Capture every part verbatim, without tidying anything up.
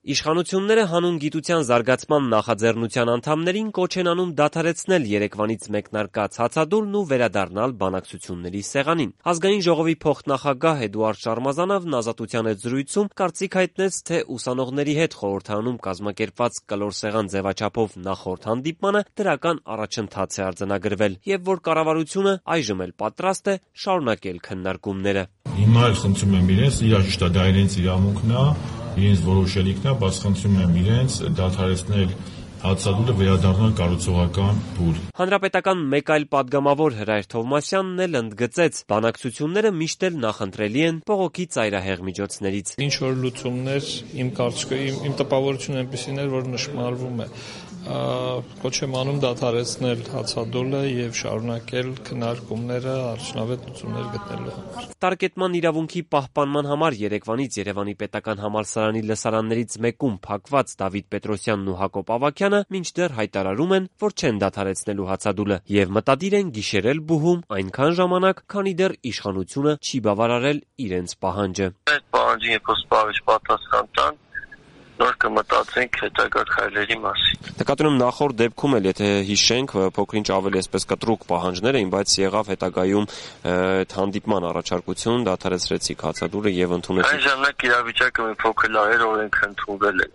Իշխանությունները հանուն գիտության զարգացման նախաձեռնության անդամներին կոչ են անում դադարեցնել երեկվանից մեկնարկած հացադուլն ու վերադառնալ բանակցությունների սեղանին։ Ազգային ժողովի փոխնախագահ Էդուարդ Շարմազանովն Ազատության հետ զրույցում կարծիք հայտնեց, թե ուսանողների հետ խորհրդարանում կազմակերպված կլոր սեղան ձևաչափով նախորդ հանդիպմանը դրական առաջընթաց է արձանագրվել եւ որ կառավարությունը այժմ էլ պատրաստ է շարունակել քննարկումները։ Հիմա էլ խնդրում եմ իրենց, իրաճիշտ է, դա իրենց իրավունքն է, իրենց որոշելիքն է, բայց խնդրում եմ իրենց դադարեցնել հացադուլը, վերադառնալ կառուցողական փուլ։ Հանրապետական մեկ այլ պատգամավոր Հրայր Թովմասյանն էլ ընդգծեց, բանակցությունները միշտ էլ նախընտրելի են բողոքի ծայրահեղ միջոցներից։ Ինչ որ լուծումներ, իմ կարծիքով, իմ, իմ տպավորությունը այնպեսին էր, որ նշмарվում է։ Կոչ եմ անում դադարեցնել հացադուլը եւ շարունակել քննարկումները արդյունավետ լուծումներ գտնելու համար։ Տարկետման իրավունքի պահպանման համար Երևանից Երևանի պետական համալսարանի լսարաններից մեկում փակված Դավիթ Պետրոսյանն ու Հակոբ Ավագյանը մինչդեռ հայտարարում են, որ չեն դադարեցնելու հացադուլը եւ մտադիր են գիշերել բուհում այնքան ժամանակ, քանի դեռ իշխանությունը չի բավարարել իրենց պահանջը։ Այդ պահանջին երբ սպառիչ պատասխան տան, նոր կմտածենք հետագա քայլերի մասին։ Նկատում նախորդ դեպքում էլ, եթե հիշենք, փոքր-ինչ ավելի այսպես կտրուկ պահանջներ էին, բայց եղավ հետագայում այդ հանդիպման առաջարկություն, դադարեցրեցիք հացադուլը եւ ընդունեցիք։ Այն ժամանակ իրավիճակը մի փոքր լավ էր, օրենք ընդունվել է։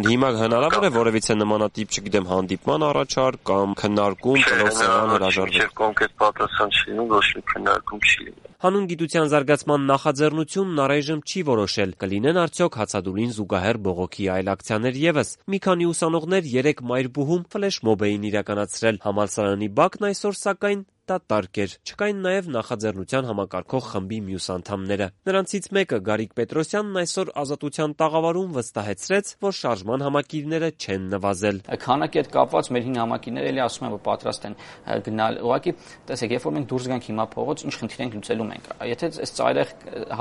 Հիմա հնարավոր է որևիցե նմանատիպ, չգիտեմ, հանդիպման առաջարկ կամ քննարկում, կլոր սեղան հրաժարվել։ Չէ, կոնկրետ պատասխան չի լինում, ոչ մի քննարկում չի լինում։ Հանուն գիտության զարգացման նախաձեռնությունն առայժմ չի որոշել, կլինեն արդյոք հացադուլին զուգահեռ բողոքի այլ ակցիաներ եւս։ Մի քանի ուսանողներ երեք Մայրբուհում ֆլեշմոբ էին իրականացրել։ Համալսարանի բակն այսօր սակայն դատարկ էր։ Չկային նաև նախաձեռնության համակարգող խմբի մյուս անդամները։ Նրանցից մեկը Գարիկ Պետրոսյանն այսօր Ազատության տաղավարում վստահեցրեց, որ շարժման համակիրները չեն նվազել։ Քանակի հետ կապված մեր հին համակիրները էլի ասում են, որ պատրաստ են գնալ։ Ուղղակի, տեսեք, երբ որ մենք դուրս գանք հիմա փողոց, ինչ խնդիր ենք լուծելու մենք։ Եթե այս ծայրահեղ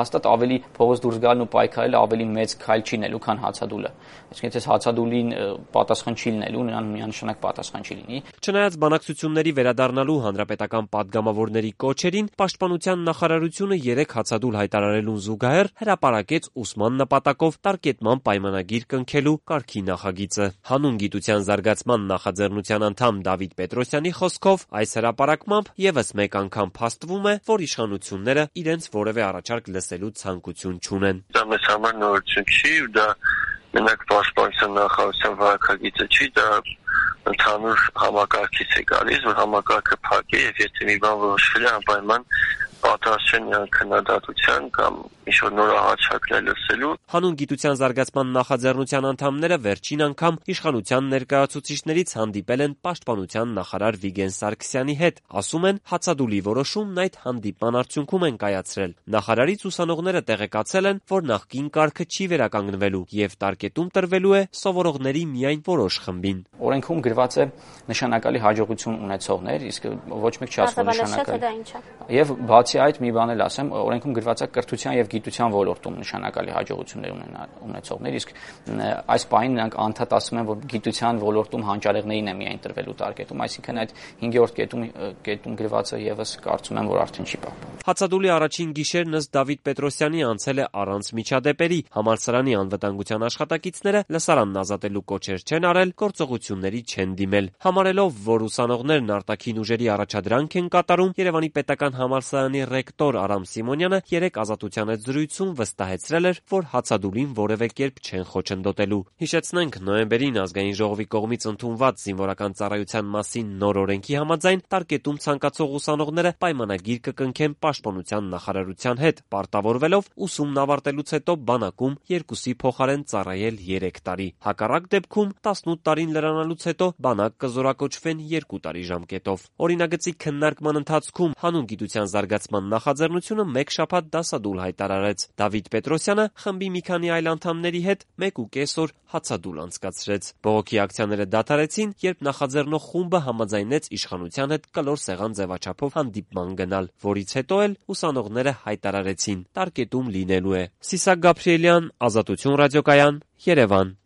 հաստատ ավելի փողոց դուրս գալն ու պայքարելը ավելի մեծ քայլ չի լինելու, քան հացադուլը։ Այսինքն, եթե հացադուլին պատասխան չի լինելու, նրան միանշանակ պատասխան չի լինի։ Չնայած բանակցությունների վերադառնալու հանրապետական պատգամավորների կոչերին, Պաշտպանության նախարարությունը երեք հացադուլ հայտարարելուն զուգահեռ հրապարակեց ուսման նպատակով տարկետման պայմանագիր կնքելու կարգի նախագիծը։ Հանուն գիտության զարգացման նախաձեռնության անդամ Դավիթ Պետրոսյանի խոսքով այս հրապարակմամբ եւս մեկ անգամ փաստվում է, որ իշխանությունները իրենց որևէ առաջարկ լսելու ցանկություն չունեն։ Դա մեզ համար նորություն չի, դա մենակ Պաշտպանության նախարարության վարակագիծը չի, դա ընդհանուր համակարգից է գալիս, որ համակարգը փակ է եւ եթե մի բան որոշվել է, անպայման պատրաստ չեն քննադատության կամ ինչ-որ նոր առաջարկներ լսելու։ Հանուն գիտության զարգացման նախաձեռնության անդամները վերջին անգամ իշխանության ներկայացուցիչներից հանդիպել են Պաշտպանության նախարար Վիգեն Սարգսյանի հետ։ Ասում են, հացադուլի որոշումն այդ հանդիպման արդյունքում են կայացրել։ Նախարարից ուսանողները տեղեկացել են, որ նախկին կարգը չի վերականգնվելու եւ տարկետում տրվելու է սովորողների միայն որոշ խմբին։ Օրենքում գրված է նշանակալի հաջողություն ունեցողներ, իսկ ոչ մեկ չի ասում նշանակալի։ Եվ բացի այդ մի բան էլ ասեմ, օրենքում գրված է կրթության եւ գիտության ոլորտում նշանակալի հաջողություններ ունեցողներ, իսկ այս պահին նրանք անդադար ասում են, որ գիտության ոլորտում հանճարեղներին է միայն տրվելու տարկետում, այսինքն այդ հինգերորդ կետում կետում գրվածը եւս կարծում եմ, որ արդեն չի պահպանվում։ Հացադուլի առաջին գիշերն ըստ Դավիթ Պետրոսյանի անցել է առանց միջադեպերի։ Համալսարանի անվտանգության աշխատակիցները լսարանն ազատելու կոչեր չեն արել, գործողությունների չեն դիմել։ Համարելով, որ ուսանողներն արտաքին ուժերի առաջադրանք են կատարում, Երևանի պետական համալսարանի ռեկտոր Արամ Սիմոնյանը երեք Ազատության հետ զրույցում վստահեցրել էր, որ հացադուլին որևէ կերպ չեն խոչընդոտելու։ Հիշեցնենք, նոյեմբերին Ազգային ժողովի կողմից ընդունված զինվորական ծառայության մասին նոր օրենքի համաձայն տարկետում ցանկացող ուսանողները պայմանագիր կկնքեն Պաշտպանության նախարարության հետ, պարտավորվելով ուսումն ավարտելուց հետո բանակում երկուսի փոխարեն ծառայել երեք տարի։ Հակառակ դեպքում տասնութ տարին լրանալուց հետո բանակ կզորակոչվեն երկու տարի ժամկետով։ Օրինագծի քննարկման ընթացքում հանուն գիտության զարգացման նախաձեռնությունը մեկ շաբաթ դասադուլ հայտարարեց։ Դավիթ Պետրոսյանը խմբի մի քանի այլ անդամների հետ մեկ ու կես օր հացադուլ անցկացրեց։ Բողոքի ակցիաները դադարեցին, երբ նախաձեռնող խումբը համաձայնեց իշխանության հետ կլոր սեղան ձևաչափով հանդիպման գնալ, որից հետո էլ ուսանողները հայտարարեցին՝ տարկետում լինելու է։ Սիսակ Գաբրիելյան, Ազատություն ռադիոկայան, Երևան։